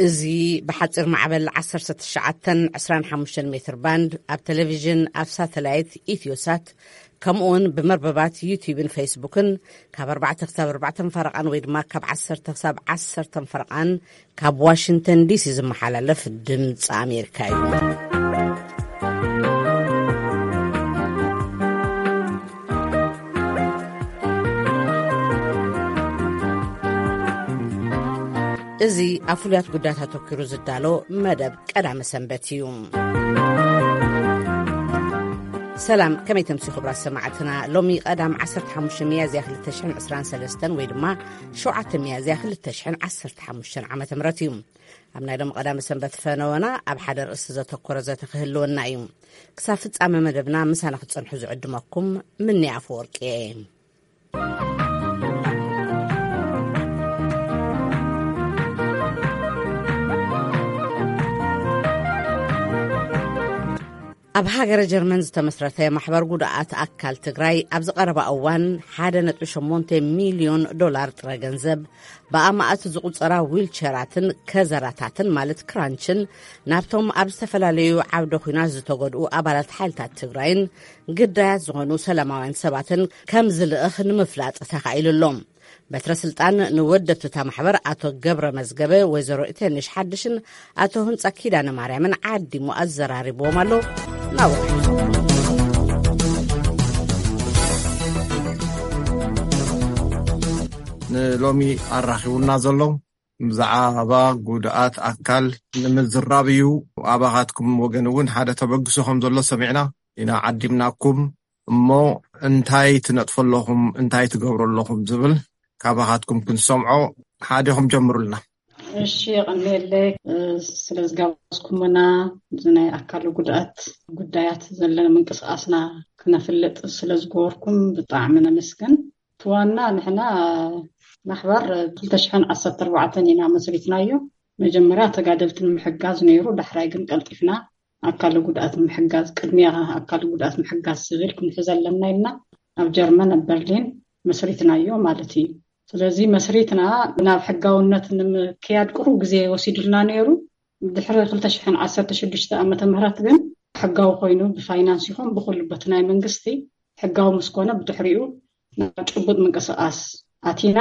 እዚ ብሓፂር ማዕበል ዓሰርተ ትሽዓተን ዕስራን ሓሙሽተን ሜትር ባንድ ኣብ ቴሌቪዥን፣ ኣብ ሳተላይት ኢትዮሳት፣ ከምኡውን ብመርበባት ዩቲዩብን ፌስቡክን ካብ ኣርባዕተ ክሳብ ኣርባዕተ ፈረቓን ወይ ድማ ካብ ዓሰርተ ክሳብ ዓሰርተ ፈረቓን ካብ ዋሽንግተን ዲሲ ዝመሓላለፍ ድምፂ ኣሜሪካ እዩ። እዚ ኣብ ፍሉያት ጉዳያት ኣተኲሩ ዝዳሎ መደብ ቀዳመ ሰንበት እዩ። ሰላም፣ ከመይ ተምሲ ክቡራት ሰማዕትና? ሎሚ ቀዳም ዓሰርተ ሓሙሽተ ሚያዝያ ክልተ ሽሕን ዕስራን ሰለስተን ወይ ድማ ሸውዓተ ሚያዝያ ክልተ ሽሕን ዓሰርተ ሓሙሽተን ዓመተ ምህረት እዩ። ኣብ ናይ ሎም ቀዳመ ሰንበት ፈነወና ኣብ ሓደ ርእሲ ዘተኮረ ዘተ ክህልወና እዩ። ክሳብ ፍጻመ መደብና ምሳና ክትጸንሑ ዝዕድመኩም ምንያ ኣፈወርቂ እየ። ኣብ ሃገረ ጀርመን ዝተመስረተ ማሕበር ጉድኣት ኣካል ትግራይ ኣብዚ ቀረባ እዋን ሓደ ነጥቢ ሸሞንተ ሚልዮን ዶላር ጥረ ገንዘብ ብኣማእት ዝቑጸራ ዊልቸራትን ከዘራታትን ማለት ክራንችን ናብቶም ኣብ ዝተፈላለዩ ዓውደ ኲናት ዝተጎድኡ ኣባላት ሓይልታት ትግራይን ግዳያት ዝኾኑ ሰላማውያን ሰባትን ከም ዝልእኽ ንምፍላጥ ተኻኢሉ ኣሎ። በትረ ስልጣን ንወደብቲ እታ ማሕበር ኣቶ ገብረ መዝገበ፣ ወይዘሮ እቴንሽ ሓድሽን ኣቶ ህንፃ ኪዳነ ማርያምን ዓዲሙ ኣዘራሪብዎም ኣሎ። ናብኡ ንሎሚ ኣራኺቡና ዘሎ ብዛዕባ ጉድኣት ኣካል ንምዝራብ እዩ። ኣባኻትኩም ወገን እውን ሓደ ተበግሶ ከም ዘሎ ሰሚዕና ኢና ዓዲምናኩም። እሞ እንታይ ትነጥፉ ኣለኹም፣ እንታይ ትገብሩ ኣለኹም ዝብል ካባኻትኩም ክንሰምዖ፣ ሓዲኹም ጀምሩልና። እሺ፣ የቐንየለይ፣ እ፣ ስለ ዝጋበዝኩምና፣ እዚ ናይ ኣካል ጉድኣት ጉዳያት ዘለና ምንቅስቃስና ክነፍልጥ ስለ ዝገበርኩም ብጣዕሚ ነመስግን። እቲ ዋና ንሕና ማሕበር ክልተ ሽሕን ዓሰርተ ኣርባዕተን ኢና መስሪትናዮ። መጀመርያ ተጋደልቲ ንምሕጋዝ ነይሩ፣ ዳሕራይ ግን ቀልጢፍና ኣካል ጉድኣት ንምሕጋዝ፣ ቅድሚያ ኣካል ጉድኣት ምሕጋዝ ዝብል ክንሕዝ ኣለና ኢልና ኣብ ጀርመን ኣብ በርሊን መስሪትናዮ ማለት እዩ። ስለዚ መስሪትና ናብ ሕጋውነት ንምክያድ ቁሩብ ግዜ ወሲዱልና ነይሩ። ድሕሪ ክልተ ሽሕን ዓሰርተ ሽዱሽተ ዓመተ ምህረት ግን ሕጋዊ ኮይኑ ብፋይናንስ ይኹን ብኹሉ በቲ ናይ መንግስቲ ሕጋዊ ምስ ኮነ ብድሕሪኡ ናብ ጭቡጥ ምንቅስቃስ ኣቲና።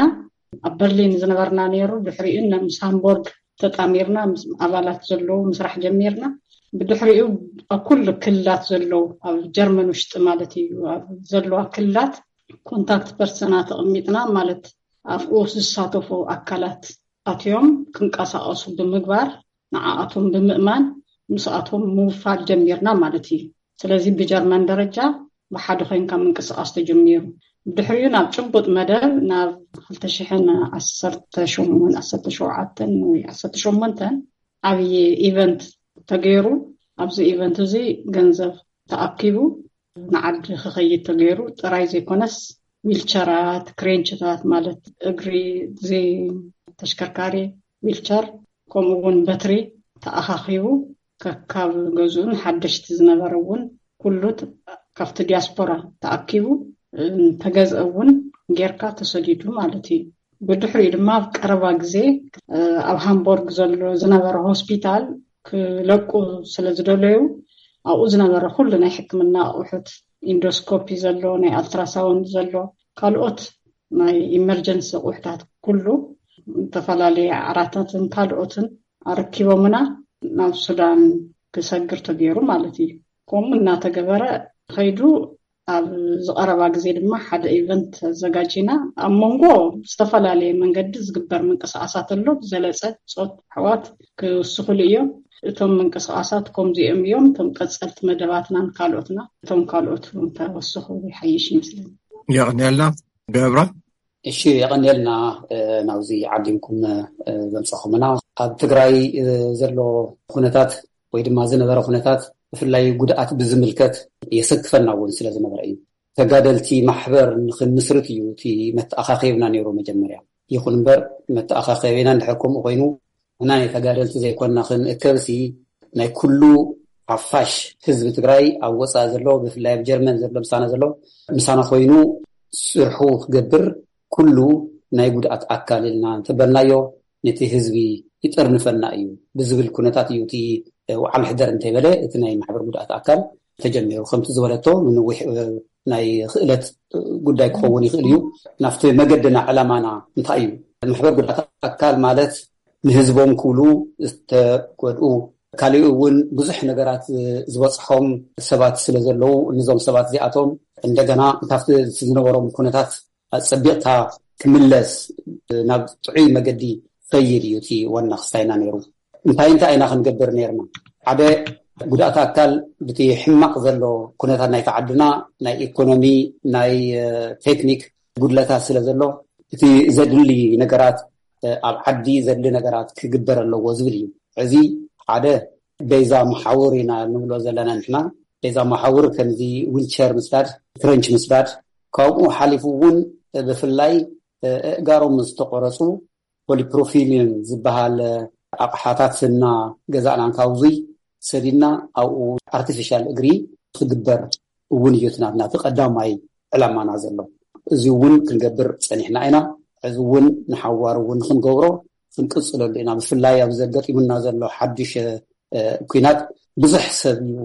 ኣብ በርሊን ዝነበርና ነይሩ። ድሕሪኡ ምስ ሃምቦርግ ተጣሚርና ምስ ኣባላት ዘለዉ ምስራሕ ጀሚርና። ብድሕሪኡ ኣብ ኩሉ ክልላት ዘለዉ ኣብ ጀርመን ውሽጢ ማለት እዩ ኣብ ዘለዋ ክልላት ኮንታክት ፐርሰና ተቐሚጥና ማለት ኣብኡ ዝሳተፉ ኣካላት ኣትዮም ክንቀሳቐሱ ብምግባር ንዓኣቶም ብምእማን ምስኣቶም ምውፋር ጀሚርና ማለት እዩ። ስለዚ ብጀርመን ደረጃ ብሓደ ኮይንካ ምንቅስቃስ ተጀሚሩ። ድሕሪኡ ናብ ጭቡጥ መደብ ናብ ክልተ ሽሕን ዓሰርተ ሸሞንተን ዓሰርተ ሸውዓተን ወይ ዓሰርተ ሸሞንተን ዓብዪ ኢቨንት ተገይሩ። ኣብዚ ኢቨንት እዚ ገንዘብ ተኣኪቡ ንዓዲ ክኸይድ ተገይሩ ጥራይ ዘይኮነስ ዊልቸራት፣ ክሬንችታት ማለት እግሪ ዘይ ተሽከርካሪ ዊልቸር ከምኡ እውን በትሪ ተኣኻኺቡ ከካብ ገዝኡን ሓደሽቲ ዝነበረ እውን ኩሉ ት-፣ ካብቲ ዲያስፖራ ተኣኪቡ፣ እ፣ ተገዝአ እውን ጌርካ ተሰዲዱ ማለት እዩ። ብድሕሪኡ ድማ ኣብ ቀረባ ግዜ፣ እ፣ ኣብ ሃምቦርግ ዘሎ ዝነበረ ሆስፒታል ክለቁ ስለ ዝደለዩ ኣብኡ ዝነበረ ኩሉ ናይ ሕክምና ኣቑሑት፣ ኢንዶስኮፒ ዘሎ፣ ናይ ኣልትራሳውንድ ዘሎ፣ ካልኦት ናይ ኢመርጀንሲ ኣቑሑታት ኩሉ፣ ዝተፈላለየ ዓራታትን ካልኦትን ኣረኪቦምና ናብ ሱዳን ክሰግር ተገይሩ ማለት እዩ። ከምኡ እናተገበረ ከይዱ ኣብ ዝቐረባ ግዜ ድማ ሓደ ኢቨንት ኣዘጋጂና። ኣብ መንጎ ዝተፈላለየ መንገዲ ዝግበር ምንቅስቃሳት ኣሎ። ብዝበለፀ ፆት ኣሕዋት ክውስኹሉ እዮም። እቶም ምንቅስቃሳት ከምዚኦም እዮም። እቶም ቀፀልቲ መደባትናን ካልኦትና፣ እቶም ካልኦት እውን ተወስኹ ይሓይሽ ይመስለኒ። የቐንየልና ገብረ። እሺ፣ የቐንየልና፣ እ፣ ናብዚ ዓዲምኩም፣ እ፣ ዘምፀኹምና። ኣብ ትግራይ፣ እ፣ ዘሎ ኩነታት ወይ ድማ ዝነበረ ኩነታት ብፍላይ ጉድኣት ብዝምልከት የሰክፈና እውን ስለ ዝነበረ እዩ። ተጋደልቲ ማሕበር ንኽንምስርት እዩ እቲ መተኣኻኸብና ነይሩ መጀመርያ። ይኹን እምበር መተኣኻኸቢና እንድሕር ከምኡ ኮይኑ ንሕና ናይ ተጋደልቲ ዘይኮንና ክንእከብሲ ናይ ኩሉ ሓፋሽ ህዝቢ ትግራይ ኣብ ወፃኢ ዘሎ ብፍላይ ኣብ ጀርመን ዘሎ ምሳና ዘሎ ምሳና ኮይኑ ስርሑ ክገብር ኩሉ ናይ ጉድኣት ኣካል ኢልና እንተበልናዮ ነቲ ህዝቢ ይጠርንፈና እዩ ብዝብል ኩነታት እዩ እቲ ዋዕላ ሕደር እንተይበለ እቲ ናይ ማሕበር ጉድኣት ኣካል ተጀሚሩ። ከምቲ ዝበለቶ ንነዊሕ ናይ ክእለት ጉዳይ ክኸውን ይኽእል እዩ። ናብቲ መገድና ዕላማና እንታይ እዩ? ማሕበር ጉድኣት ኣካል ማለት ንህዝቦም ክብሉ ዝተጎድኡ፣ ካሊኡ እውን ብዙሕ ነገራት ዝበፅሖም ሰባት ስለ ዘለዉ፣ ንዞም ሰባት እዚኣቶም እንደገና ካብቲ ዝነበሮም ኩነታት ኣፀቢቕካ ክምለስ ናብ ጥዑይ መገዲ ኸይድ እዩ እቲ ዋና ክስታይና ነይሩ። እንታይ እንታይ ኢና ክንገብር ነይርና? ሓደ ጉድኣት ኣካል ብቲ ሕማቕ ዘሎ ኩነታት ናይቲ ዓድና ናይ ኢኮኖሚ፣ ናይ ቴክኒክ ጉድለታት ስለ ዘሎ እቲ ዘድሊ ነገራት ኣብ ዓዲ ዘድሊ ነገራት ክግበር ኣለዎ ዝብል እዩ። እዚ ሓደ ቤዛ መሓውር ኢና ንብሎ ዘለና ንሕና። ቤዛ መሓውር ከምዚ ዊልቸር ምስዳድ፣ ክረንች ምስዳድ፣ ካብኡ ሓሊፉ እውን ብፍላይ ኣእጋሮም ዝተቆረፁ ፖሊፕሮፊሊን ዝበሃል ኣቕሓታት እና ገዛእና ካብዙይ ሰዲድና ኣብኡ ኣርቲፊሻል እግሪ ክግበር እውን እዩ እቲ ናትና እቲ ቀዳማይ ዕላማና ዘሎ። እዚ እውን ክንገብር ፀኒሕና ኢና። እዚ እውን ንሓዋር እውን ክንገብሮ ክንቅፅለሉ ኢና። ብፍላይ ኣብ ዘገጢሙና ዘሎ ሓዱሽ ኩናት ብዙሕ ሰብ እዩ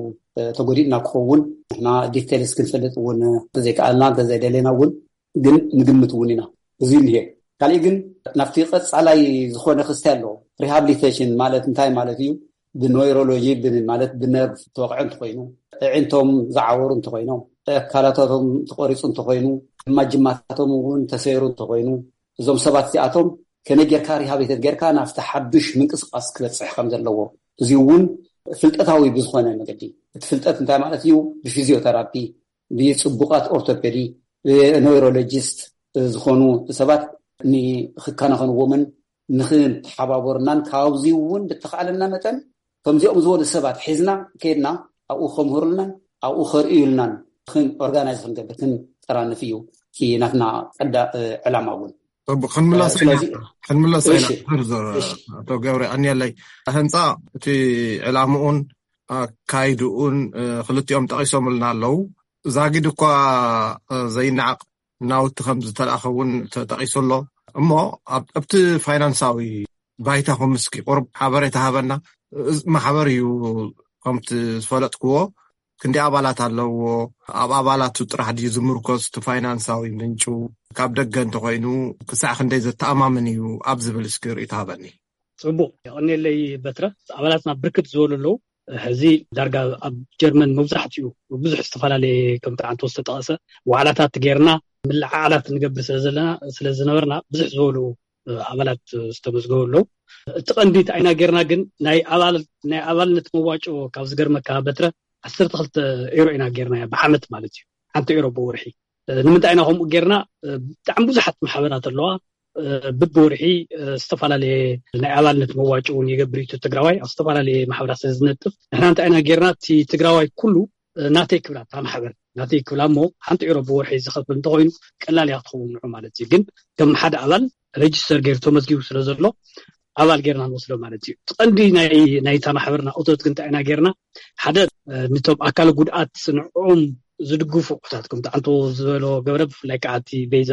ተጎዲእና ክኸውን። ንሕና ዲቴልስ ክንፈልጥ እውን እንተዘይከኣልና እንተዘይደለና እውን ግን ንግምት እውን ኢና። እዚ እንሄ። ካሊእ ግን ናብቲ ቀፃላይ ዝኾነ ክስታይ ኣለዎ። ሪሃብሊቴሽን ማለት እንታይ ማለት እዩ? ብኖይሮሎጂ ማለት ብነርቭ ተወቕዐ እንተኮይኑ፣ ኣዒንቶም ዝዓወሩ እንተኮይኖም፣ ኣካላታቶም ተቆሪፁ እንተኮይኑ፣ ማጅማታቶም እውን ተሰይሩ እንተኮይኑ፣ እዞም ሰባት እዚኣቶም ከመይ ጌርካ ሪሃብሊቴት ጌርካ ናብቲ ሓዱሽ ምንቅስቃስ ክበፅሕ ከም ዘለዎ፣ እዚ እውን ፍልጠታዊ ብዝኾነ መገዲ፣ እቲ ፍልጠት እንታይ ማለት እዩ? ብፊዚዮተራፒ፣ ብፅቡቃት ኦርቶፔዲ፣ ብኖይሮሎጂስት ዝኾኑ ሰባት ንክከናኸንዎምን ንክንተሓባበሩናን ካብዚ እውን ብተኻእለና መጠን ከምዚኦም ዝበሉ ሰባት ሒዝና ከይድና ኣብኡ ከምህሩልናን ኣብኡ ከርእዩልናን ኦርጋናይዝ ክንገብር ክንጠራንፍ እዩ ናትና ቀዳ ዕላማ እውን። ክንምለስ ክንምለስ ዝርዝር። ኣቶ ገብረ ኣንየለይ፣ ህንፃ እቲ ዕላምኡን ኣካይድኡን ክልቲኦም ጠቂሶምልና ኣለዉ። ዛጊድ እኳ ዘይነዓቕ ናውቲ ከም ዝተላእኸ እውን ተጠቂሱ ኣሎ። እሞ ኣብቲ ፋይናንሳዊ ባይታኹም እስኪ ቁሩብ ሓበሬታ ሃበና። ማሕበር እዩ ከምቲ ዝፈለጥክዎ ክንዲ ኣባላት ኣለዎ? ኣብ ኣባላቱ ጥራሕ ድዩ ዝምርኮስ እቲ ፋይናንሳዊ ምንጩ? ካብ ደገ እንተኮይኑ ክሳዕ ክንደይ ዘተኣማምን እዩ ኣብ ዝብል እስኪ ርእይቶ ሃበኒ። ፅቡቅ፣ የቐንየለይ በትረ። ኣባላትና ብርክት ዝበሉ ኣለዉ። ሕዚ ዳርጋ ኣብ ጀርመን መብዛሕትኡ ብዙሕ ዝተፈላለየ ከምቲ ዓንቶ ዝተጠቐሰ ዋዕላታት ጌርና ምልዓዓላት ንገብር ስለዘለና ስለዝነበርና ብዙሕ ዝበሉ ኣባላት ዝተመዝገቡ ኣለዉ። እቲ ቀንዲ እንታይ ኢና ጌርና ግን ናይ ኣባልነት መዋጮ ካብ ዝገርመካ በትረ ዓሰርተ ክልተ ኤሮ ኢና ጌርና ብዓመት ማለት እዩ። ሓንቲ ኤሮ ብወርሒ። ንምንታይ ኢና ከምኡ ጌርና? ብጣዕሚ ብዙሓት ማሕበራት ኣለዋ። ብብወርሒ ዝተፈላለየ ናይ ኣባልነት መዋጮ እውን ይገብር እዩ ትግራዋይ ኣብ ዝተፈላለየ ማሕበራት ስለ ዝነጥፍ ንሕና እንታይ ኢና ጌርና? እቲ ትግራዋይ ኩሉ ናተይ ክብላ እታ ማሕበር ናተይ ክብላ እሞ ሓንቲ ኤሮ ብወርሒ ዝኸፍል እንተኮይኑ ቀላል እያ ክትኸውን ንዑ ማለት እዩ። ግን ከም ሓደ ኣባል ሬጅስተር ገይሩ ተመዝጊቡ ስለ ዘሎ ኣባል ጌርና ንወስዶ ማለት እዩ። እቲ ቀንዲ ናይታ ማሕበርና እቶት ግን እንታይ ኢና ጌርና? ሓደ ንቶም ኣካል ጉድኣት ንዕኦም ዝድግፉ ኣቁሑታት ከምቲ ዓንቶ ዝበሎ ገብረ ብፍላይ ከዓ እቲ ቤዛ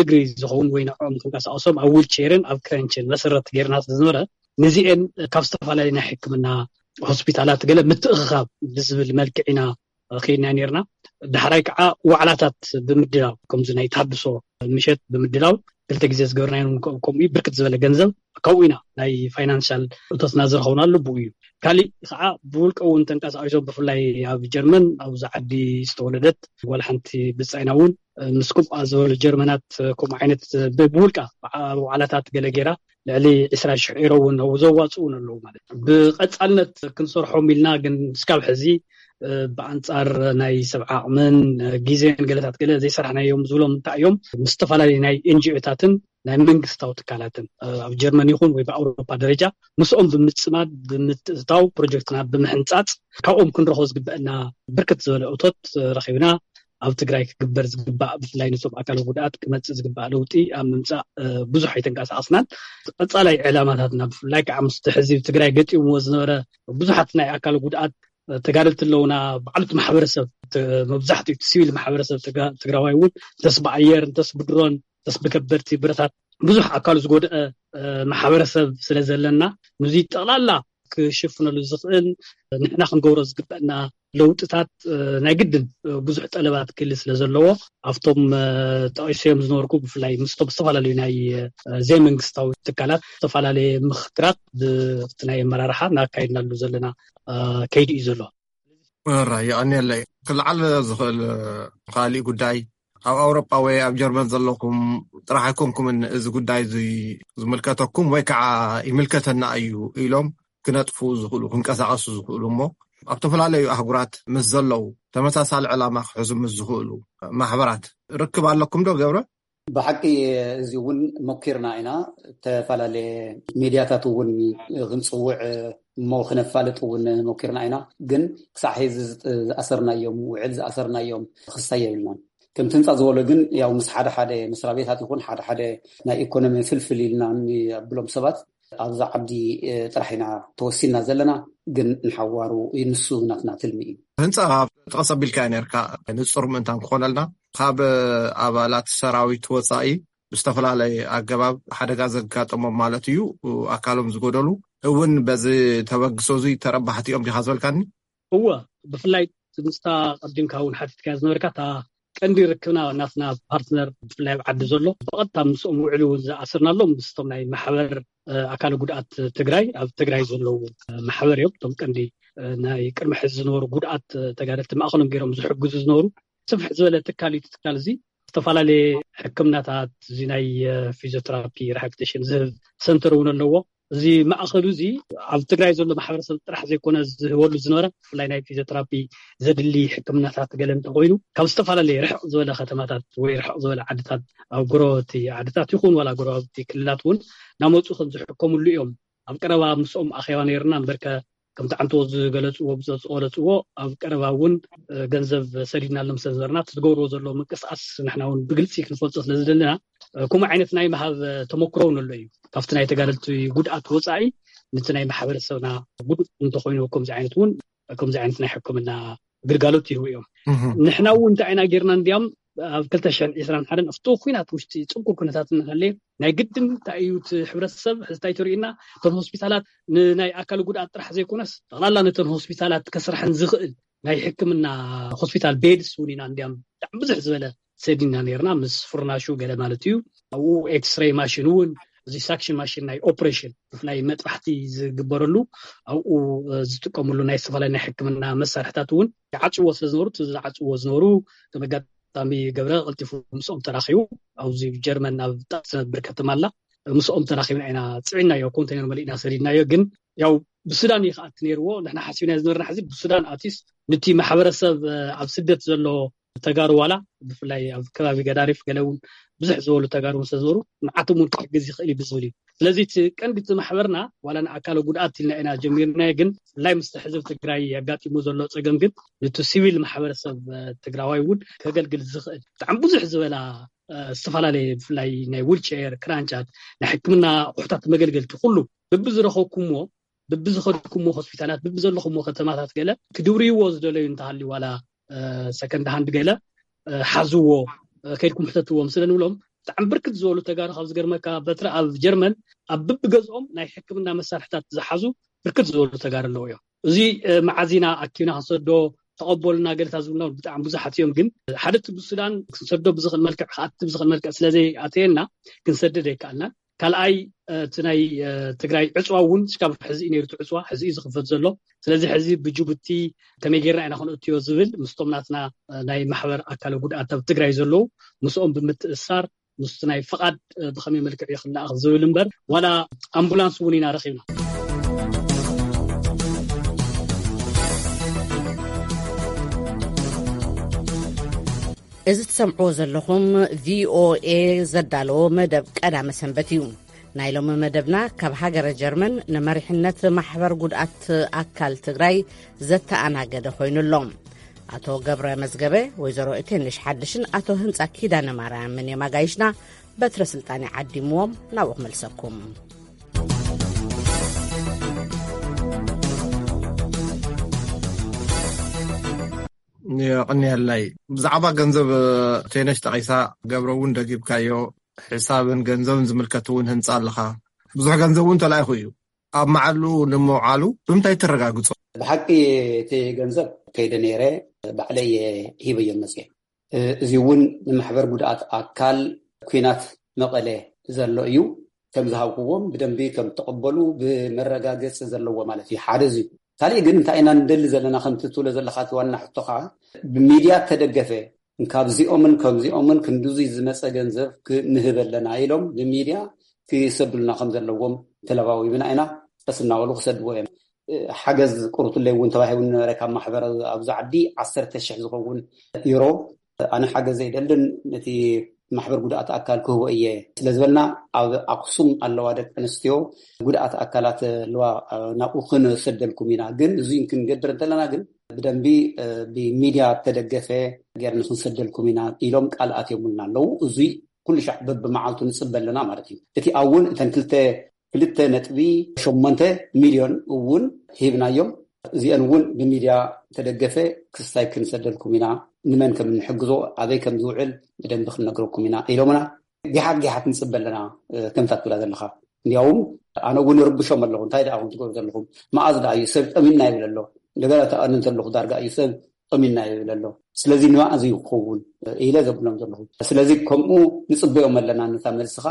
እግሪ ዝኸውን ወይ ንዕኦም ክንቀሳቀሶም ኣብ ዊልቸርን ኣብ ክረንችን መሰረት ጌርና ስለዝነበረ ንዚኤን ካብ ዝተፈላለዩ ናይ ሕክምና ሆስፒታላት ገለ ምትእኽኻብ ብዝብል መልክዕ ኢና ከይድና ኔርና። ዳሕራይ ከዓ ዋዕላታት ብምድላው ከምዚ ናይ ተሃድሶ ምሸት ብምድላው ክልተ ግዜ ዝገበርናዮ ከምኡ ብርክት ዝበለ ገንዘብ ካብኡ ኢና ናይ ፋይናንሻል እቶትና ዝረኸብናሉ ብኡ እዩ። ካሊእ ከዓ ብውልቀ እውን ተንቀሳቂሶም ብፍላይ ኣብ ጀርመን ኣብዚ ዓዲ ዝተወለደት ጓል ሓንቲ ብፃይና እውን ምስ ከምኣ ዝበሉ ጀርመናት ከምኡ ዓይነት ብውልቃ ዋዕላታት ገለ ገይራ ልዕሊ ዕስራ ሽሕ ኤሮ እውን ዘዋፅኡ እውን ኣለዉ ማለት እዩ። ብቀፃልነት ክንሰርሖም ኢልና ግን እስካብ ሕዚ ብኣንፃር ናይ ሰብ ዓቕምን ግዜን ገለታት ገለ ዘይሰራሕናዮም ዝብሎም እንታይ እዮም ምስ ዝተፈላለዩ ናይ ኤንጂኦታትን ናይ መንግስታዊ ትካላትን ኣብ ጀርመን ይኹን ወይ ብኣውሮፓ ደረጃ ምስኦም ብምፅማድ ብምትእትታው ፕሮጀክትና ብምሕንፃፅ ካብኦም ክንረኽቦ ዝግበአና ብርክት ዝበለ እቶት ረኺብና ኣብ ትግራይ ክግበር ዝግባእ ብፍላይ ነቶም ኣካል ጉድኣት ክመፅእ ዝግባእ ለውጢ ኣብ ምምፃእ ብዙሕ ኣይተንቀሳቀስናን። ቀፃላይ ዕላማታትና ብፍላይ ከዓ ምስቲ ሕዚ ትግራይ ገጢምዎ ዝነበረ ብዙሓት ናይ ኣካል ጉድኣት ተጋደልቲ ኣለውና። ባዕሉቲ ማሕበረሰብ መብዛሕትኡ እቲ ሲቪል ማሕበረሰብ ትግራዋይ እውን እንተስ ብኣየር እንተስ ብድሮን እንተስ ብከበድቲ ብረታት ብዙሕ ኣካሉ ዝጎደአ ማሕበረሰብ ስለ ዘለና፣ ንዚ ጠቕላላ ክሽፍነሉ ዝኽእል፣ ንሕና ክንገብሮ ዝግበአና ለውጥታት ናይ ግድን ብዙሕ ጠለባት ክህሊ ስለ ዘለዎ፣ ኣብቶም ጠቂሰዮም ዝነበርኩ፣ ብፍላይ ምስቶም ዝተፈላለዩ ናይ ዘይመንግስታዊ ትካላት ዝተፈላለየ ምኽክራት ብቲ ናይ ኣመራርሓ እናካየድናሉ ዘለና ከይዲ እዩ ዘሎ። ራ የቐንየለይ። ክልዓል ዝኽእል ካሊእ ጉዳይ፣ ኣብ ኣውሮጳ ወይ ኣብ ጀርመን ዘለኹም ጥራሕ ኣይኮንኩምን እዚ ጉዳይ እዚ ዝምልከተኩም ወይ ከዓ ይምልከተና እዩ ኢሎም ክነጥፉ ዝኽእሉ፣ ክንቀሳቐሱ ዝኽእሉ፣ እሞ ኣብ ዝተፈላለዩ ኣህጉራት ምስ ዘለዉ፣ ተመሳሳሊ ዕላማ ክሕዙ ምስ ዝኽእሉ ማሕበራት ርክብ ኣለኩም ዶ ገብረ? ብሓቂ እዚ እውን ሞኪርና ኢና። ዝተፈላለየ ሚድያታት እውን ክንፅውዕ እሞ ክነፋልጥ እውን ሞኪርና ኢና። ግን ክሳዕ ሕዚ ዝኣሰርናዮም፣ ውዕል ዝኣሰርናዮም ክስታይ የብልናን። ከምቲ ህንፃ ዝበሎ ግን ያው ምስ ሓደ ሓደ መስሪያ ቤታት ይኹን ሓደ ሓደ ናይ ኢኮኖሚ ፍልፍል ኢልና ንብሎም ሰባት ኣብዛ ዓዲ ጥራሕ ኢና ተወሲና ዘለና። ግን ንሓዋሩ ንሱ ናትና ትልሚ እዩ። ህንፃ ጠቐስ ኣቢልካ ነርካ፣ ንፁር ምእንታን ክኾነልና፣ ካብ ኣባላት ሰራዊት ወፃኢ ብዝተፈላለየ ኣገባብ ሓደጋ ዘጋጠሞም ማለት እዩ፣ ኣካሎም ዝጎደሉ እውን በዚ ተበግሶ እዚ ተረባሕቲ እዮም ዲኻ ዝበልካኒ? እወ፣ ብፍላይ ምስታ ቀዲምካ እውን ሓቲትካ ዝነበርካ፣ እታ ቀንዲ ርክብና ናትና ፓርትነር ብፍላይ ኣብ ዓዲ ዘሎ ብቐጥታ ምስኦም ውዕሊ እውን ዝኣስርናሎም ምስቶም ናይ ማሕበር ኣካል ጉድኣት ትግራይ፣ ኣብ ትግራይ ዘለዉ ማሕበር እዮም። እቶም ቀንዲ ናይ ቅድሚ ሕዚ ዝነበሩ ጉድኣት ተጋደልቲ ማእኸሎም ገይሮም ዝሕግዙ ዝነበሩ ስፍሕ ዝበለ ትካል እዩ። እቲ ትካል እዚ ዝተፈላለየ ሕክምናታት፣ እዚ ናይ ፊዚዮቴራፒ ሪሃብሊቴሽን ዝህብ ሰንተር እውን ኣለዎ። እዚ ማእኸሉ እዚ ኣብ ትግራይ ዘሎ ማሕበረሰብ ጥራሕ ዘይኮነ ዝህበሉ ዝነበረ፣ ብፍላይ ናይ ፊዚዮቴራፒ ዘድሊ ሕክምናታት ገለ እንተኮይኑ ካብ ዝተፈላለየ ርሕቕ ዝበለ ከተማታት ወይ ርሕቕ ዝበለ ዓድታት፣ ኣብ ጎረባብቲ ዓድታት ይኹን ዋላ ጎረባብቲ ክልላት እውን ናመፁ ከም ዝሕከምሉ እዮም። ኣብ ቀረባ ምስኦም ኣኼባ ነይርና እምበርከ ከምቲ ዓንቶ ዝገለፅዎ ብዘፅቆለፅዎ ኣብ ቀረባ እውን ገንዘብ ሰዲድናሎም ስለ ዝነበርና እቲ ዝገብርዎ ዘሎ ምንቅስቃስ ንሕና እውን ብግልፂ ክንፈልፆ ስለ ዝደለና ከምኡ ዓይነት ናይ ምሃብ ተመክሮ እውን ኣሎ እዩ። ካብቲ ናይ ተጋደልቲ ጉድኣት ወፃኢ ነቲ ናይ ማሕበረሰብና ጉድእ እንተኮይኑ ከምዚ ዓይነት እውን ከምዚ ዓይነት ናይ ሕክምና ግልጋሎት ይህቡ እዮም። ንሕና እውን እንታይ ኢና ጌርና እንዲያም ኣብ ክልተ ሽሕን ዕስራን ሓደን ኣብቲ ኩናት ውሽጢ ፅንኩር ኩነታት እናሃለየ ናይ ግድን እንታይ እዩ እቲ ሕብረተሰብ ሕዚ እንታይ ተርእዩና እቶም ሆስፒታላት ንናይ ኣካል ጉድኣት ጥራሕ ዘይኮነስ ጠቕላላ ነተን ሆስፒታላት ከስርሐን ዝኽእል ናይ ሕክምና ሆስፒታል ቤድስ እውን ኢና እንዲያም ብጣዕሚ ብዙሕ ዝበለ ሰዲና ነርና ምስ ፍርናሹ ገለ ማለት እዩ። ኣብኡ ኤክስሬይ ማሽን እውን እዚ ሳክሽን ማሽን ናይ ኦፕሬሽን ብፍላይ መጥባሕቲ ዝግበረሉ ኣብኡ ዝጥቀምሉ ናይ ዝተፈላለዩ ናይ ሕክምና መሳርሕታት እውን ይዓፅዎ ስለ ዝነበሩ እቲ ዝዓፅዎ ዝነበሩ ከም ኣጋጣሚ ገብረ ቀልጢፉ ምስኦም ተራኺቡ ኣብዚ ጀርመን ኣብ ጣት ትነብር ከተማ ኣላ ምስኦም ተራኺብና ኢና ፅዒናዮ ኮንቴነር መሊእና ሰዲድናዮ ግን ያው ብሱዳን እዩ ከኣቲ ነይርዎ ንሕና ሓሲብና ዝነበርና ሕዚ ብሱዳን ኣቲስ ንቲ ማሕበረሰብ ኣብ ስደት ዘሎ ተጋሩ ዋላ ብፍላይ ኣብ ከባቢ ገዳሪፍ ገለ እውን ብዙሕ ዝበሉ ተጋሩ ምስ ዝነበሩ ንዓቶም እውን ክሕግዝ ይኽእል እዩ ብዝብል እዩ። ስለዚ እቲ ቀንዲ እቲ ማሕበርና ዋላ ንኣካለ ጉድኣት ኢልና ኢና ጀሚርናዮ፣ ግን ብፍላይ ምስቲ ሕዝቢ ትግራይ ኣጋጢሙ ዘሎ ፀገም ግን ንቲ ሲቪል ማሕበረሰብ ትግራዋይ እውን ከገልግል ዝኽእል ብጣዕሚ ብዙሕ ዝበላ ዝተፈላለየ ብፍላይ ናይ ዊልቸር ክራንቻት ናይ ሕክምና ኣቑሑታት መገልገልቲ ኩሉ ብብዝረኸብኩምዎ ብብዝኸድኩምዎ ሆስፒታላት ብብዘለኹምዎ ከተማታት ገለ ክድውርይዎ ዝደለዩ እንተሃልዩ ዋላ ሰከንድ ሃንድ ገለ ሓዝዎ ከይድኩም ሕተትዎም ስለ ንብሎም ብጣዕሚ ብርክት ዝበሉ ተጋሩ ካብ ዝገርመካ በትሪ ኣብ ጀርመን ኣብ ብብገዝኦም ናይ ሕክምና መሳርሕታት ዝሓዙ ብርክት ዝበሉ ተጋሩ ኣለዉ እዮም። እዚ መዓዚና ኣኪብና ክንሰዶ ተቐበሉና ገለታት ዝብልና ብጣዕሚ ብዙሓት እዮም። ግን ሓደ እቲ ብሱዳን ክንሰዶ ብዝኽእል መልክዕ ክኣቲ ብዝኽእል መልክዕ ስለዘይኣተየና ክንሰድድ ኣይከኣልናን። ካልኣይ እቲ ናይ ትግራይ ዕፅዋ እውን ስካብ ሕዚ እዩ ነይሩ እቲ ዕፅዋ ሕዚ እዩ ዝኽፈት ዘሎ። ስለዚ ሕዚ ብጅቡቲ ከመይ ጌርና ኢና ክንእትዮ ዝብል ምስቶም ናትና ናይ ማሕበር ኣካለ ጉድኣት ኣብ ትግራይ ዘለዉ ምስኦም ብምትእሳር ምስቲ ናይ ፍቓድ ብኸመይ መልክዕ እዩ ክለኣኽ ዝብል እምበር ዋላ ኣምቡላንስ እውን ኢና ረኺብና። እዚ ትሰምዕዎ ዘለኹም ቪኦኤ ዘዳለዎ መደብ ቀዳመ ሰንበት እዩ። ናይ ሎሚ መደብና ካብ ሃገረ ጀርመን ንመሪሕነት ማሕበር ጉድኣት ኣካል ትግራይ ዘተኣናገደ ኮይኑ ኣሎ። ኣቶ ገብረ መዝገበ፣ ወይዘሮ እቴንሽ ሓድሽን ኣቶ ህንፃ ኪዳነ ማርያምን የማጋይሽና በትረ ስልጣን ዓዲምዎም ናብኡ ክመልሰኩም። የቕንየለይ። ብዛዕባ ገንዘብ ቴነሽ ጠቒሳ ገብረ እውን ደጊብካዮ ሕሳብን ገንዘብን ዝምልከት እውን ህንፃ ኣለኻ። ብዙሕ ገንዘብ እውን ተላኢኹ እዩ። ኣብ መዓሉ ንምውዓሉ ብምንታይ ተረጋግጾ? ብሓቂ እቲ ገንዘብ ከይደ ነይረ፣ ባዕለይ ሂበዮም መፅየ። እዚ እውን ንማሕበር ጉድኣት ኣካል ኲናት መቐለ ዘሎ እዩ። ከም ዝሃብኩዎም ብደንቢ ከም ተቐበሉ ብመረጋገፂ ዘለዎ ማለት እዩ። ሓደ እዚ እዩ። ካሊእ ግን እንታይ ኢና ንደሊ ዘለና? ከምቲ ትብሎ ዘለካ እቲ ዋና ሕቶ ከዓ ብሚድያ ተደገፈ፣ ካብዚኦምን ከምዚኦምን ክንድዙይ ዝመፀ ገንዘብ ክንህብ ኣለና ኢሎም ብሚድያ ክሰዱልና ከም ዘለዎም ተለባዊብና ኢና። ቀስ እናበሉ ክሰድዎ እዮም። ሓገዝ ቁርቱለይ እውን ተባሂቡ ነበረ ካብ ማሕበር ኣብዚ ዓዲ ዓሰርተ ሽሕ ዝኸውን ዩሮ። ኣነ ሓገዝ ዘይደልን ነቲ ማሕበር ጉድኣት ኣካል ክህቦ እየ ስለ ዝበልና፣ ኣብ ኣክሱም ኣለዋ ደቂ ኣንስትዮ ጉድኣት ኣካላት ኣለዋ፣ ናብኡ ክንሰደልኩም ኢና። ግን እዙይ ክንገብር እንተለና ግን ብደንቢ ብሚድያ ተደገፈ ገይርና ክንሰደልኩም ኢና ኢሎም ቃል ኣትዮምልና ኣለዉ። እዙይ ኩሉ ሻዕ በብመዓልቱ ንፅበ ኣለና ማለት እዩ። እቲ እውን እተን ክልተ ክልተ ነጥቢ ሸሞንተ ሚልዮን እውን ሂብናዮም። እዚአን እውን ብሚድያ ተደገፈ ክስታይ ክንሰደልኩም ኢና፣ ንመን ከም እንሕግዞ ኣበይ ከም ዝውዕል ብደንቢ ክንነግረኩም ኢና ኢሎምና። ጊሓት ጊሓት ንፅበ ኣለና። ከምታ ትብላ ዘለካ እንዲያውም ኣነ እውን ርብሾም ኣለኹ። እንታይ ደኣ ትገብሩ ዘለኹም? መኣዝ ደኣ እዩ ሰብ ጠሚና ይብል ኣሎ። እንደገና ተኣን እንተለኹ ዳርጋ እዩ ሰብ ጠሚና ይብል ኣሎ። ስለዚ ንመኣዝ እዩ ክኸውን ኢለ ዘብሎም ዘለኹ። ስለዚ ከምኡ ንፅበዮም ኣለና። ነታ መልስኻ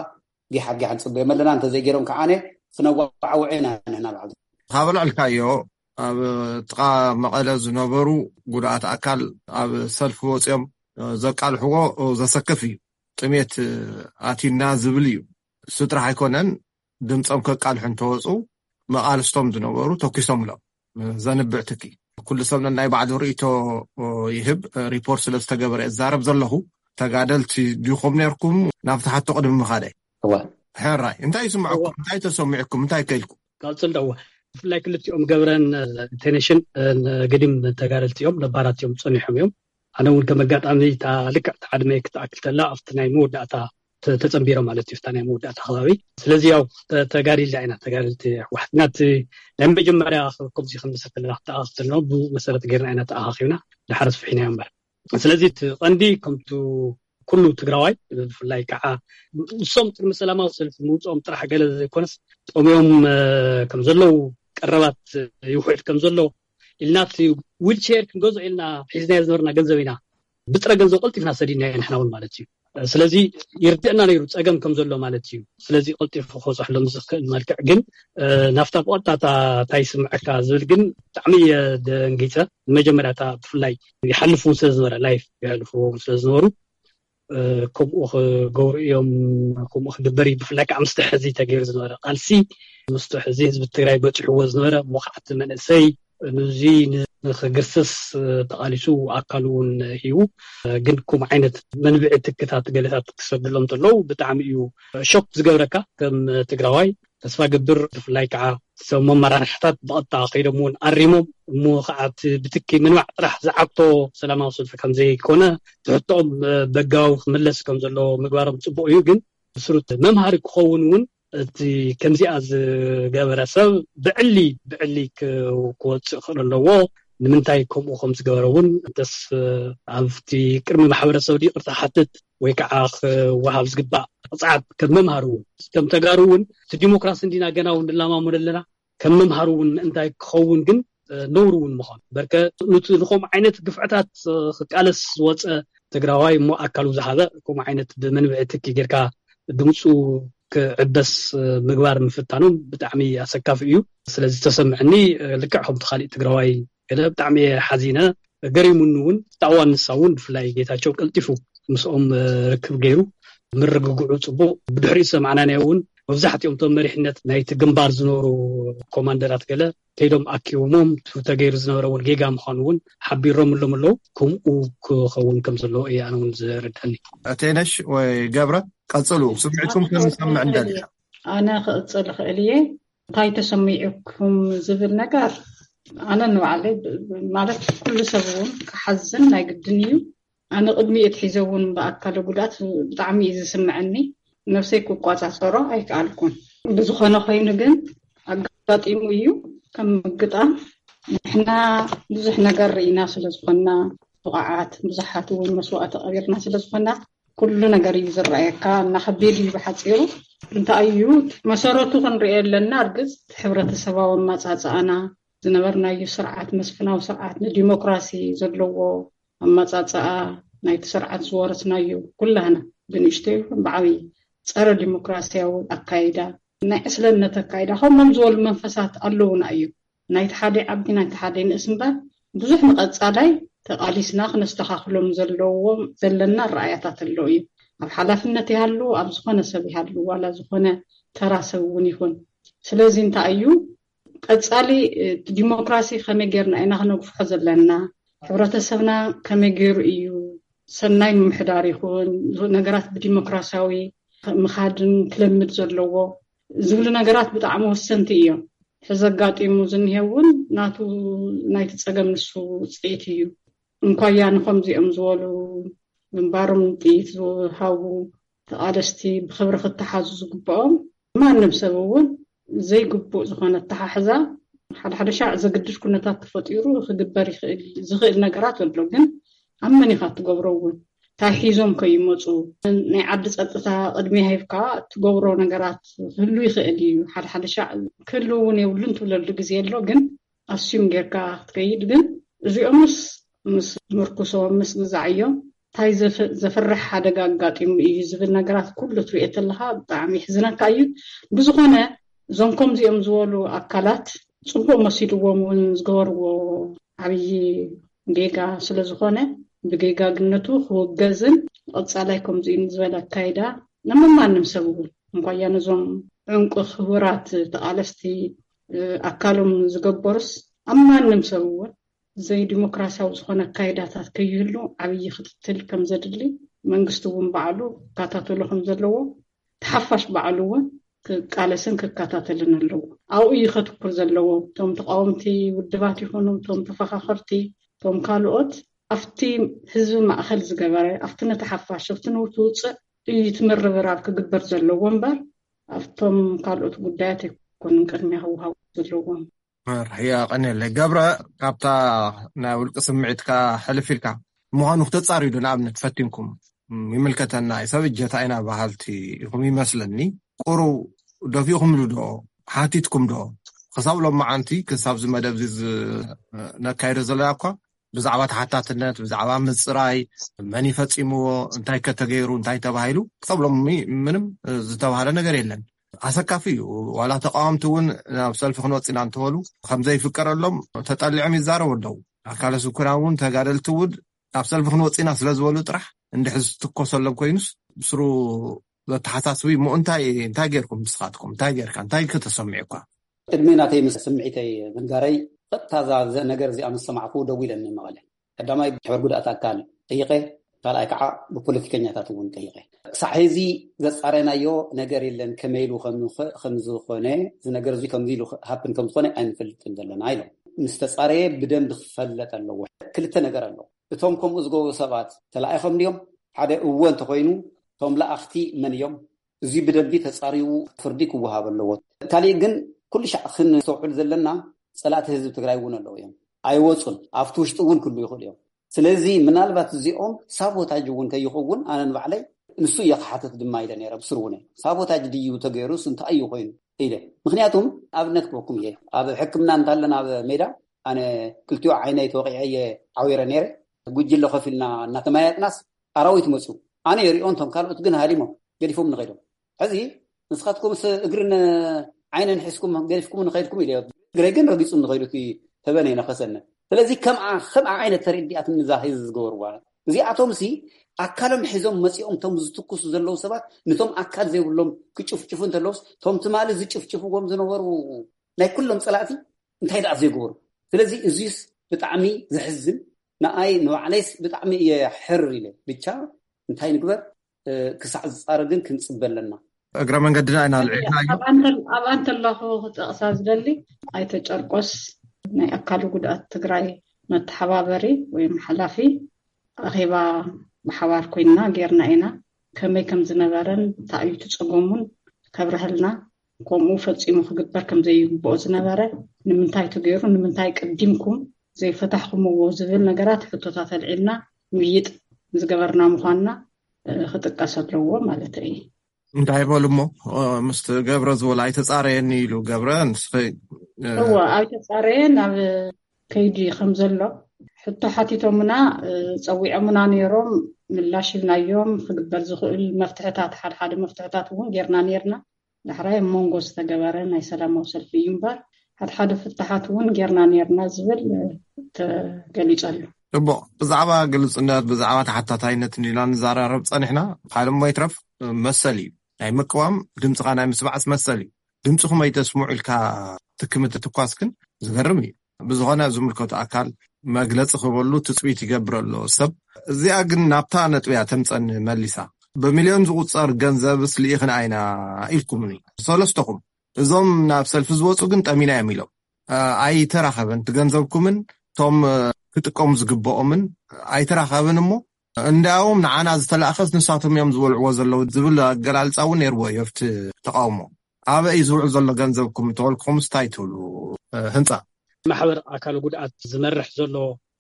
ጊሓት ጊሓት ንፅበዮም ኣለና። እንተዘይገይሮም ከዓነ ክነዋዓውዕ ኢና ንሕና ባዕልና። ካብ ኣልዕልካዮ ኣብ ጥቓ መቐለ ዝነበሩ ጉድኣት ኣካል ኣብ ሰልፊ ወፂኦም ዘቃልሕዎ ዘሰክፍ እዩ። ጥሜት ኣቲና ዝብል እዩ። እሱ ጥራሕ ኣይኮነን፣ ድምፆም ከቃልሑ እንተወፁ መቓልስቶም ዝነበሩ ተኪሶምሎም። ዘንብዕ ትኪ ኩሉ ሰብ ነናይ ባዕሉ ርእይቶ ይህብ። ሪፖርት ስለ ዝተገበረ እዛረብ ዘለኹ። ተጋደልቲ ዲኹም ነርኩም? ናብቲ ሓቶ ቅድሚ ምኻደይ። እወ። ሕራይ እንታይ ይስምዐኩም? እንታይ ተሰሚዕኩም? እንታይ ከይልኩም? ቀፅል ደዋ። ብፍላይ ክልቲኦም ገብረን ቴነሽን ገዲም ተጋደልቲ እዮም፣ ነባራት እዮም፣ ፀኒሖም እዮም። ኣነ እውን ከም ኣጋጣሚ እታ ልክዕ እታ ዕድመ ክትኣክል ተላ ኣብቲ ናይ መወዳእታ ተ- ተፀንቢረ ማለት እዩ፣ እታ ናይ መወዳእታ ከባቢ። ስለዚ ያው ተ- ተጋዲልና ኢና፣ ተጋደልቲ ኣሕዋትና። እቲ ናይ መጀመርያ ከምዚ ከም ዝሰፈለና ክትኣኻኽብ ተለና ብኡ መሰረት ገይርና ኢና ተኣኻኺብና፣ ድሓር ኣስፍሒና እምበር። ስለዚ እቲ ቀንዲ ከምቱ ኩሉ ትግራዋይ ብፍላይ ከዓ ንሶም ቅድሚ ሰላማዊ ሰልፊ ምውፅኦም ጥራሕ ገለ ዘይኮነስ ጠምዮም ከም ዘለዉ፣ ቀረባት ይውሕድ ከም ዘሎ ኢልና እቲ ዊልቸር ክንገዝኦ ኢልና ሒዝናዮ ዝነበርና ገንዘብ ኢና ብጥረ ገንዘብ ቀልጢፍና ሰዲድናዮ ንሕና እውን ማለት እዩ። ስለዚ ይርድእና ነይሩ ፀገም ከም ዘሎ ማለት እዩ። ስለዚ ቀልጢፉ ክበፅሐሎም ዝኽእል መልክዕ ግን ናፍታ ብቐጥታ እንታይ ይስምዐካ ዝብል ግን ብጣዕሚ እየ ደንጊፀ። መጀመርያ እታ ብፍላይ ይሓልፉ ስለ ዝነበረ ላይፍ ይሕልፍዎም ስለ ዝነበሩ ከምኡ ክገብሩ እዮም፣ ከምኡ ክግበር እዩ። ብፍላይ ከዓ ምስቲ ሕዚ ተገይሩ ዝነበረ ቃልሲ ምስቲ ሕዚ ህዝቢ ትግራይ በፂሕዎ ዝነበረ ሞኽዓቲ መንእሰይ ንዚ ንክግርስስ ተቓሊሱ ኣካሉ እውን ሂቡ። ግን ከምኡ ዓይነት መንብዒ ትክታት ገለታት ክሰድሎም እንተለዉ ብጣዕሚ እዩ ሾክ ዝገብረካ ከም ትግራዋይ። ተስፋ ገብር ብፍላይ ከዓ ሰብ መመራርሕታት ብቐጥታ ከይዶም እውን ኣሪሞም እሞ ከዓ እቲ ብትኪ ምንባዕ ጥራሕ ዝዓግቶ ሰላማዊ ሰልፊ ከምዘይኮነ ትሕቶኦም በጋዊ ክምለስ ከም ዘለዎ ምግባሮም ፅቡቅ እዩ። ግን ብስሩት መምሃሪ ክኸውን እውን እቲ ከምዚኣ ዝገበረ ሰብ ብዕሊ ብዕሊ ክወፅእ ክኽእል ኣለዎ። ንምንታይ ከምኡ ከም ዝገበረ እውን እንተስ ኣብቲ ቅድሚ ማሕበረሰብ ይቅርታ ሓትት ወይ ከዓ ክወሃብ ዝግባእ ቅፅዓት ከም መምሃሪ እውን ከም ተጋሩ እውን እቲ ዲሞክራሲ እንዲና ገና እውን ንላማመዶ ኣለና። ከም መምሃሪ እውን ምእንታይ ክኸውን ግን ነውሪ እውን ምዃኑ በርከ ኑቲ ንከምኡ ዓይነት ግፍዕታት ክቃለስ ዝወፀ ትግራዋይ እሞ ኣካሉ ዝሃበ ከምኡ ዓይነት ብመንብዒ ትኪ ጌርካ ድምፁ ክዕበስ ምግባር ምፍታኖም ብጣዕሚ ኣሰካፊ እዩ። ስለዚ ተሰምዐኒ ልክዕ ከምቲ ካሊእ ትግራዋይ ገለ ብጣዕሚ እየ ሓዚነ። ገሪሙኒ እውን እታ እዋን ንሳ እውን ብፍላይ ጌታቸው ቀልጢፉ ምስኦም ርክብ ገይሩ ምርግግዑ ፅቡቅ። ብድሕሪኡ ዝሰማዕናዮ እውን መብዛሕትኦም እቶም መሪሕነት ናይቲ ግንባር ዝነበሩ ኮማንደራት ገለ ከይዶም ኣኪቦሞም እቲ ተገይሩ ዝነበረ እውን ጌጋ ምዃኑ እውን ሓቢሮምሎም ኣለዉ። ከምኡ ክኸውን ከም ዘለዎ እየ ኣነ እውን ዝርድኣኒ። ቴነሽ ወይ ገብረ ቀፅሉ፣ ስምዒትኩም ክንሰምዕ እንደሊ። ኣነ ክቕፅል እኽእል እየ። እንታይ ተሰሚዑኩም ዝብል ነገር ኣነ ንባዕለይ ብ- ብ- ማለት ኩሉ ሰብ እውን ክሓዝን ናይ ግድን እዩ። ኣነ ቅድሚ እቲ ሒዘ እውን ብኣካለ ጉዳት ብጣዕሚ እዩ ዝስምዐኒ። ነብሰይ ክቆፃፀሮ ኣይከኣልኩን። ብዝኾነ ኮይኑ ግን ኣጋጢሙ እዩ። ከም ምግጣም ንሕና ብዙሕ ነገር ርኢና ስለ ዝኾንና፣ ብቕዓት ብዙሓት እውን መስዋእቲ ቀቢርና ስለ ዝኾንና፣ ኩሉ ነገር እዩ ዝረኣየካ። እናኸቢድ እዩ ብሓፂሩ። እንታይ እዩ መሰረቱ ክንሪኦ ኣለና። እርግፅ፣ ሕብረተሰባዊ ኣመፃፅኣና፣ ዝነበርናዩ ስርዓት፣ መስፍናዊ ስርዓት፣ ንዲሞክራሲ ዘለዎ ኣመፃፅኣ ናይቲ ስርዓት ዝወረስናዩ፣ ኩላህና ብንእሽቶ ይኹን ብዓብዪ፣ ፀረ ዲሞክራሲያዊ ኣካይዳ፣ ናይ ዕስለነት ኣካይዳ፣ ከምኦም ዝበሉ መንፈሳት ኣለውና እዩ። ናይቲ ሓደ ዓቢ፣ ናይቲ ሓደ ንእስ እምበር፣ ብዙሕ ንቐጻላይ ተቓሊስና ክነስተኻኽሎም ዘለዎም ዘለና ረኣያታት ኣሎ እዩ። ኣብ ሓላፍነት ይሃሉ፣ ኣብ ዝኾነ ሰብ ይሃሉ፣ ዋላ ዝኾነ ተራ ሰብ እውን ይኹን። ስለዚ እንታይ እዩ ቀጻሊ፣ እ፣ ዲሞክራሲ ከመይ ጌርና ኢና ክነግፍሖ ዘለና? ሕብረተሰብና ከመይ ገይሩ እዩ ሰናይ ምምሕዳር ይኹን ነገራት ብዲሞክራሲያዊ ምኻድን ክለምድ ዘለዎ ዝብሉ ነገራት ብጣዕሚ ወሰንቲ እዮም። ሕዚ ኣጋጢሙ ዝኒሄ እውን ናቱ፣ ናይቲ ጸገም ንሱ ውጽኢት እዩ። እንኳያ ንኸምዚኦም ዝበሉ ግንባሮም ጥይት ዝሃቡ ተቓለስቲ ብኽብሪ ክተሓዙ ዝግብኦም፣ ማንም ሰብ እውን ዘይግቡእ ዝኾነ ኣተሓሕዛ፣ ሓደ ሓደ ሻዕ ዘግድድ ኩነታት ተፈጢሩ ክግበር ይኽእል፣ ዝኽእል ነገራት ኣሎ። ግን ኣብ መን ኢኻ ትገብሮ እውን? እንታይ ሒዞም ከይመፁ? ናይ ዓዲ ጸጥታ ቅድሚ ሂብካ ትገብሮ ነገራት ክህሉ ይኽእል እዩ። ሓደ ሓደ ሻዕ ክህሉ እውን የብሉን ትብለሉ ግዜ ኣሎ። ግን ኣስዩም ጌርካ ክትከይድ ግን፣ እዚኦምስ ምስ ምርኩሶም፣ ምስ ግዛዕዮም እንታይ ዘፍ-፣ ዘፍርሕ ሓደጋ ኣጋጢሙ እዩ ዝብል ነገራት ኩሉ ትሪኦ ተለኻ ብጣዕሚ ይሕዝነካ እዩ። ብዝኾነ፣ እዞም ከምዚኦም ዝበሉ ኣካላት ጽቡቕ መሲልዎም እውን ዝገበርዎ ዓብዪ ጌጋ ስለ ዝኾነ፣ ብጌጋግነቱ ክውገዝን ቀጻላይ ከምዚኡ ዝበለ ኣካይዳ ንመማንም ሰብ እውን፣ እንኳያ ነዞም ዕንቁ ክቡራት ተቓለስቲ፣ እ፣ ኣካሎም ዝገበሩስ፣ ኣብ ማንም ሰብ እውን ዘይዲሞክራሲያዊ ዝኾነ ኣካይዳታት ከይህሉ ዓብዪ ክትትል ከም ዘድሊ፣ መንግስቲ እውን ባዕሉ ክከታተሎ ከም ዘለዎ፣ ተሓፋሽ ባዕሉ እውን ክቃለስን ክከታተልን ኣለዎ። ኣብኡ እዩ ከትኩር ዘለዎ። እቶም ተቃወምቲ ውድባት ይኹኑ፣ እቶም ተፈኻኸርቲ፣ እቶም ካልኦት፣ ኣብቲ ህዝቢ ማእኸል ዝገበረ፣ ኣብቲ ነቲ ሓፋሽ፣ ኣብቲ ነቲ ውፅዕ እዩ እቲ ምርብራብ ክግበር ዘለዎ እምበር፣ ኣብቶም ካልኦት ጉዳያት ኣይኮኑን ቅድሚያ ክወሃቡ ዘለዎም። መርሕ፣ የቐንየለይ። ገብረ፣ ካብታ ናይ ውልቂ ስምዒትካ ሕልፍ ኢልካ፣ ምዃኑ ክተጻርዩ ዶ ንኣብነት ፈቲንኩም? ም፣ ይምልከተና እዩ፣ ሰብ እጀታ ኢና በሃልቲ ኢኹም ይመስለኒ። ቁሩብ ደፊእኩምሉ ዶ? ሓቲትኩም ዶ? ክሳብ ሎማዓንቲ፣ ክሳብ እዚ መደብ እዚ ዝ-፣ ነካይዶ ዘለና እኳ፣ ብዛዕባ ተሓታትነት፣ ብዛዕባ ምጽራይ፣ መን ይፈጺምዎ፣ እንታይ ከ ተገይሩ፣ እንታይ ተባሂሉ፣ ክሳብ ሎሚ ምንም ዝተባህለ ነገር የለን። ኣሰካፊ እዩ። ዋላ ተቃወምቲ እውን ናብ ሰልፊ ክንወጽእ ኢና እንተበሉ፣ ከም ዘይፍቀደሎም ተጠሊዖም ይዛረቡ ኣለዉ። ኣካለ ስንኩላን እውን፣ ተጋደልቲ እውን ናብ ሰልፊ ክንወጽእ ኢና ስለ ዝበሉ ጥራሕ፣ እንድሕር ዝትኮሰሎም ኮይኑስ፣ ብስሩ ዘተሓሳስቡ እሞ፣ እንታይ፣ እንታይ ጌርኩም ንስኻትኩም? እንታይ ጌርካ? እንታይ ከተሰሚዑኳ? ቅድሚ ናተይ ምስ ስምዒተይ ምንጋረይ፣ ቀጥታ እዛ፣ እዛ ነገር እዚኣ ምስ ሰማዕኩ ደዊለ ንመቐለ። ቀዳማይ ብሕበር ጉድኣት ኣካል ጠይቐ፣ ካልኣይ ከዓ ብፖለቲከኛታት እውን ጠይቐ። ክሳዕ ሕዚ ዘጻረናዮ ነገር የለን፣ ከመይ ኢሉ ከም ንኸ-፣ ከም ዝኾነ፣ እዚ ነገር እዚ ከምዚ ኢሉ ሃፕን ከም ዝኾነ ኣይንፈልጥን ዘለና ኢሎም። ምስ ተጻረየ ብደንቢ ክፈለጥ ኣለዎ። ክልተ ነገር ኣሎ። እቶም ከምኡ ዝገብሩ ሰባት ተላኢኾም ድዮም? ሓደ እወ እንተኾይኑ፣ እቶም ለኣኽቲ መን እዮም? እዚ ብደንቢ ተጻሪዩ ፍርዲ ክወሃብ ኣለዎ። ካሊእ ግን፣ ኩሉ ሻዕ ክንስተውዕል ዘለና፣ ጸላእቲ ህዝቢ ትግራይ እውን ኣለዉ እዮም። ኣይወጹን። ኣብቲ ውሽጢ እውን ክህሉ ይኽእሉ እዮም። ስለዚ ምናልባት እዚኦም ሳቦታጅ እውን ከይኸውን፣ ኣነ ንባዕለይ ንሱ እየ ክሓተት ድማ ኢለ ነይረ፣ ብስሩ እውን እየ። ሳቦታጅ ድዩ ተገይሩስ እንታይ እዩ ኮይኑ ኢለ። ምኽንያቱም ኣብነት ክበኩም እየ። ኣብ ሕክምና እንታለን ኣብ ሜዳ፣ ኣነ ክልቲኡ ዓይነይ ተወቂዐ እየ ዓዊረ ነይረ። ጉጅለ ከፊልና እናተመያየጥናስ ኣራዊት መፅዩ። ኣነ የሪኦ፣ እንቶም ካልኦት ግን ሃዲሞም ገዲፎም ንኸይዶም። ሕዚ ንስኻትኩም ስ-፣ እግርን ዓይንን ሒዝኩም ገዲፍኩም ንኸይድኩም ኢለ። እግረይ ግን ረጊጹ ንኸይዱ እቲ ተበን የነኸሰኒ። ስለዚ ከምኣ፣ ከምኣ ዓይነት ተረዲኣትኒ እዛ ህዝቢ ዝገበርዋ። እዚኣቶም ሲ ኣካሎም ሒዞም መጺኦም፣ እቶም ዝትኩሱ ዘለዉ ሰባት፣ ነቶም ኣካል ዘይብሎም ክጭፍጭፉ እንተለውስ፣ እቶም ትማሊ ዝጭፍጭፍዎም ዝነበሩ ናይ ኩሎም ጸላእቲ እንታይ ደኣ ዘይገበሩ? ስለዚ እዚስ ብጣዕሚ ዘሕዝን፣ ንኣይ ንባዕለይስ ብጣዕሚ እየ ሕር ኢለ። ብቻ እንታይ ንግበር? እ፣ ክሳዕ ዝጻረ ግን ክንጽበ ኣለና። እግረ መንገድና ኢና ልዒልናዮ። ኣብኣ እንተ-፣ ኣብኣ እንተለኹ ክጠቕሳ ዝደሊ፣ ኣይተ ጨርቆስ፣ ናይ ኣካል ጉድኣት ትግራይ መተሓባበሪ ወይ ሓላፊ፣ ኣኼባ ብሓባር ኮይንና ጌርና ኢና። ከመይ ከም ዝነበረን እንታይ እዩ እቲ ጸገሙን ከብርሀልና፣ ከምኡ ፈጺሙ ክግበር ከም ዘይግብኦ ዝነበረ፣ ንምንታይ ተገይሩ፣ ንምንታይ ቀዲምኩም ዘይፈታሕኩምዎ ዝብል ነገራት ሕቶታት ኣልዒልና ምይይጥ ዝገበርና ምዃንና ክጥቀስ ኣለዎ ማለት እዩ። እንታይ በሉ እሞ? ምስቲ ገብረ ዝበሎ ኣይተፃረየኒ ኢሉ ገብረ ንስኸ እዎ ኣይተፃረየ ናብ ከይዲ ከም ዘሎ ሕቶ ሓቲቶምና፣ ፀዊዖምና ነይሮም፣ ምላሽ ኢልናዮም። ክግበር ዝኽእል መፍትሕታት፣ ሓደ ሓደ መፍትሕታት እውን ጌርና ነይርና። ዳሕራይ ኣብ መንጎ ዝተገበረ ናይ ሰላማዊ ሰልፊ እዩ እምበር፣ ሓደ ሓደ ፍትሓት እውን ጌርና ነይርና ዝብል ተገሊጸሉ። ጽቡቕ። ብዛዕባ ግልጽነት፣ ብዛዕባ ተሓታታይነት እንዲና ንዘራረብ ጸኒሕና። ካልእ እሞ ይትረፍ መሰል እዩ። ናይ ምቅዋም ድምፅኻ ናይ ምስማዕስ መሰል እዩ። ድምፅኹም ኣይተስምዑ ኢልካ ትክምት ትኳስ ግን ዝገርም እዩ። ብዝኾነ ዝምልከቱ ኣካል መግለፂ ክበሉ ትፅቢት ይገብር ኣሎ ሰብ። እዚኣ ግን ናብታ ነጥብያ ተምፀኒ መሊሳ። ብሚልዮን ዝቁፀር ገንዘብስ ልኢኽን ኣይና ኢልኩምኒ ሰለስተኹም። እዞም ናብ ሰልፊ ዝወፁ ግን ጠሚና እዮም ኢሎም። ኣይተራኸበን ትገንዘብኩምን ቶም ክጥቀሙ ዝግብኦምን ኣይተራኸብን እሞ እንዳውም ንዓና ዝተላእኸስ ንሳቶም እዮም ዝበልዕዎ ዘለዉ ዝብል ኣገላልፃ እውን ነይርዎ። የፍቲ ተቃውሞ ኣበይ ዝውዕል ዘሎ ገንዘብኩም ተወልኩም ስታይ ትብሉ? ህንፃ ማሕበር ኣካል ጉድኣት ዝመርሕ ዘሎ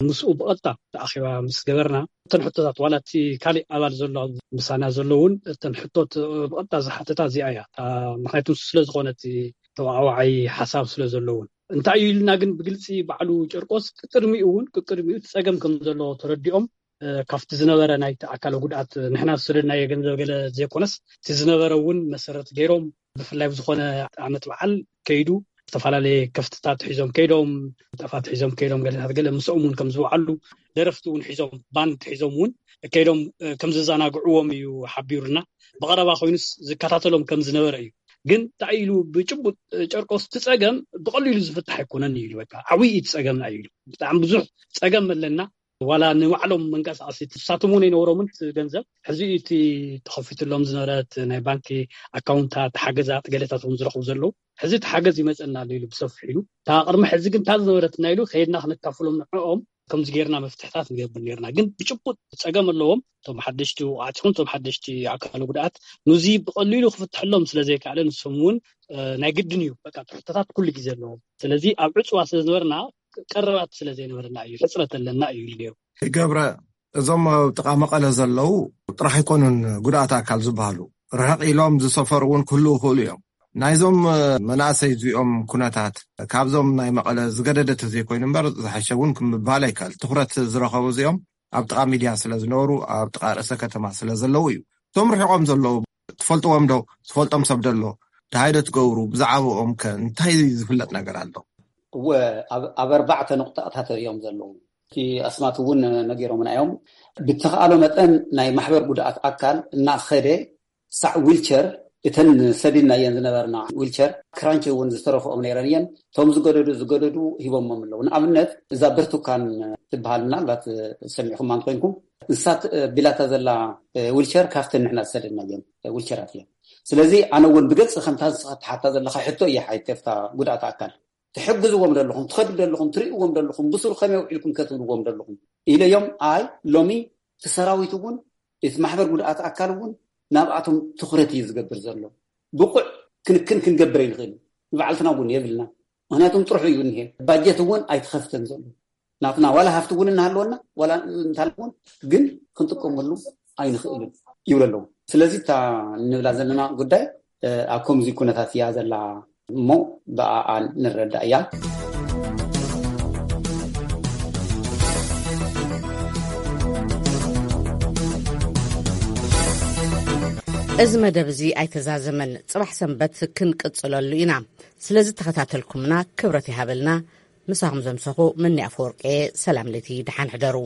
ምስኡ ብቐጥታ ኣኼባ ምስ ገበርና እተን ሕቶታት ዋላ እቲ ካሊእ ኣባል ዘሎ ምሳና ዘሎ እውን እተን ሕቶት ብቐጥታ ዝሓተታ እዚኣ እያ። ምክንያቱ ስለዝኾነ እቲ ተዋዕዋዓይ ሓሳብ ስለዘለውን እንታይ እዩ ኢልና ግን ብግልፂ ባዕሉ ጨርቆስ ቅድሚኡ እውን ቅድሚኡ እቲ ፀገም ከም ዘሎ ተረዲኦም ካብቲ ዝነበረ ናይቲ ኣካለ ጉድኣት ንሕና ዝሰደድናዮ ገንዘብ ገለ ዘይኮነስ እቲ ዝነበረ እውን መሰረት ገይሮም ብፍላይ ብዝኾነ ዓመት በዓል ከይዱ ዝተፈላለየ ከፍትታት ሒዞም ከይዶም ጠፋት ሒዞም ከይዶም ገለታት ገለ ምስኦም እውን ከም ዝወዓሉ ደረፍቲ እውን ሒዞም ባንድ ሒዞም እውን ከይዶም ከም ዝዘናግዕዎም እዩ ሓቢሩና። ብቐረባ ኮይኑስ ዝከታተሎም ከም ዝነበረ እዩ። ግን እንታይ ኢሉ ብጭቡጥ ጨርቆስ እቲ ፀገም ብቐሊሉ ዝፍታሕ ኣይኮነን እዩ ኢሉ በቃ ዓብዪ እቲ ፀገምና እዩ ኢሉ። ብጣዕሚ ብዙሕ ፀገም ኣለና። ዋላ ንባዕሎም መንቀሳቀሲ ትሳትሙ ነይነውሮምን ገንዘብ ሕዚ እቲ ተኸፊትሎም ዝነበረት ናይ ባንኪ ኣካውንታት ሓገዛት ገለታት እውን ዝረኽቡ ዘለዉ ሕዚ እቲ ሓገዝ ይመፀና ኣሎ ኢሉ ብሰፊሕ ኢሉ እታ ቅድሚ ሕዚ ግን እታ ዝነበረትና ኢሉ ከይድና ክንካፍሎም ንዕኦም ከምዚ ጌርና መፍትሕታት ንገብር ነርና ግን ብጭቡጥ ፀገም ኣለዎም እቶም ሓደሽቲ ውቃዕቲ ይኹን እቶም ሓደሽቲ ኣካል ጉድኣት ንዚ ብቀሊሉ ክፍትሐሎም ስለዘይከኣለ ንሶም እውን ናይ ግድን እዩ በቃ ትሕቶታት ኩሉ ግዜ ኣለዎም ስለዚ ኣብ ዕፅዋ ስለዝነበርና ቀረባት ስለዘይነበርና እዩ ሕፅረት ኣለና እዩ ኢሉ ነይሩ። ገብረ እዞም ኣብ ጥቓ መቐለ ዘለዉ ጥራሕ ኣይኮኑን ጉድኣት ኣካል ዝበሃሉ ርሕቕ ኢሎም ዝሰፈሩ እውን ክህልዉ ይኽእሉ እዮም። ናይዞም መናእሰይ እዚኦም ኩነታት ካብዞም ናይ መቐለ ዝገደደ ተዘይኮይኑ እምበር ዝሓሸ እውን ክምባል ኣይከኣል። ትኹረት ዝረኸቡ እዚኦም ኣብ ጥቓ ሚድያ ስለ ዝነበሩ ኣብ ጥቓ ርእሰ ከተማ ስለ ዘለዉ እዩ። እቶም ርሒቖም ዘለዉ ትፈልጥዎም ዶ? ዝፈልጦም ሰብ ዶ ኣሎ? ደሃይ ዶ ትገብሩ? ብዛዕባኦም ከ እንታይ ዝፍለጥ ነገር ኣሎ? እወ ኣብ ኣርባዕተ ነቑጣታት እዮም ዘለዉ። እቲ ኣስማት እውን ነጊሮምና እዮም። ብተኽኣሎ መጠን ናይ ማሕበር ጉድኣት ኣካል እናኸደ ሳዕ ዊልቸር እተን ሰዲድናየን ዝነበርና ዊልቸር ክራንች እውን ዝተረፍኦም ነይረን እየን። እቶም ዝገደዱ ዝገደዱ ሂቦሞም ኣለዉ። ንኣብነት እዛ ብርቱካን ትበሃል ምናልባት ሰሚዕኹማ እንተኮይንኩም ንሳ ቢላታ ዘላ ዊልቸር ካብተን ንሕና ዝሰደድናየን ዊልቸራት እየን። ስለዚ ኣነ እውን ብገጽ ከምታ ንስኻ ትሓታ ዘለኻ ሕቶ እየ ሓይተፍታ ጉድኣት ኣካል ትሕግዝዎም ዘለኹም ትኸዱ ዘለኹም ትርእዎም ዘለኹም ብሱሩ ከመይ ውዒልኩም ከትብልዎም ዘለኹም ኢለዮም። ኣይ ሎሚ እቲ ሰራዊት እውን እቲ ማሕበር ጉድኣት ኣካል እውን ናብኣቶም ትኹረት እዩ ዝገብር ዘሎ። ብቑዕ ክንክን ክንገብር ኣይንኽእል ንባዕልትና እውን የብልና። ምክንያቱም ጥርሑ እዩ እኒሄ ባጀት እውን ኣይተኸፍተን ዘሎ ናትና ዋላ ሃፍቲ እውን እናሃለወና ዋላ እንታል እውን ግን ክንጥቀመሉ ኣይንኽእልን ይብሉ ኣለዉ። ስለዚ እታ ንብላ ዘለና ጉዳይ ኣብ ከምዚ ኩነታት እያ ዘላ እሞ ብኣኣ ንረዳእ እያ። እዚ መደብ እዚ ኣይተዛዘመን። ጽባሕ ሰንበት ክንቅጽለሉ ኢና። ስለዚ ተኸታተልኩምና ክብረት ይሃበልና። ምሳኹም ዘምሰኹ መኒ ኣፈወርቄ። ሰላም ለይቲ፣ ደሓን ሕደሩ።